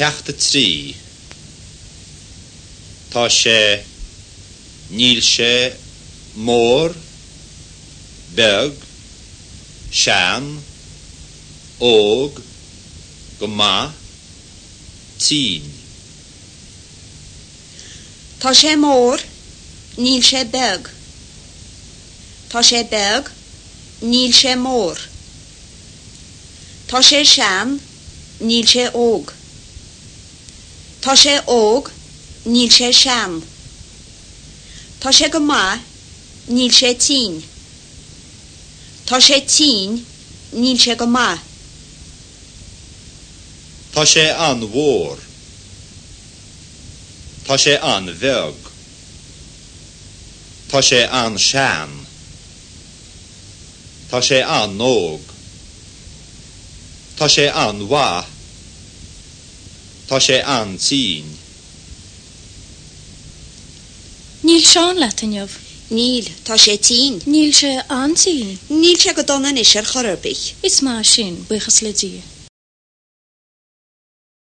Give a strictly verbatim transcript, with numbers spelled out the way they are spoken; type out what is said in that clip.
Ceacht a trí. Tá sé, níl sé, mór, beag, sean, óg, go maith, tinn. Tá sé mór, níl sé beag. Tá sé beag, níl sé mór. Tá sé sean, níl sé óg. Tá sé óg, níl sé sean. Tá sé go maith, níl sé tinn. Tá sé tinn, níl sé go maith. Tá sé an-mhór. Tá sé an-bheag. Tá sé an-sean. Tá sé an-óg. Tá sé an-mhaith. Tá sé an-tinn. Níl Seán leat inniu. Níl, tá sé tinn. Níl sé an-tinn. Níl sé go dona anois ar chor ar bith. Is maith sin, buíochas le Dia.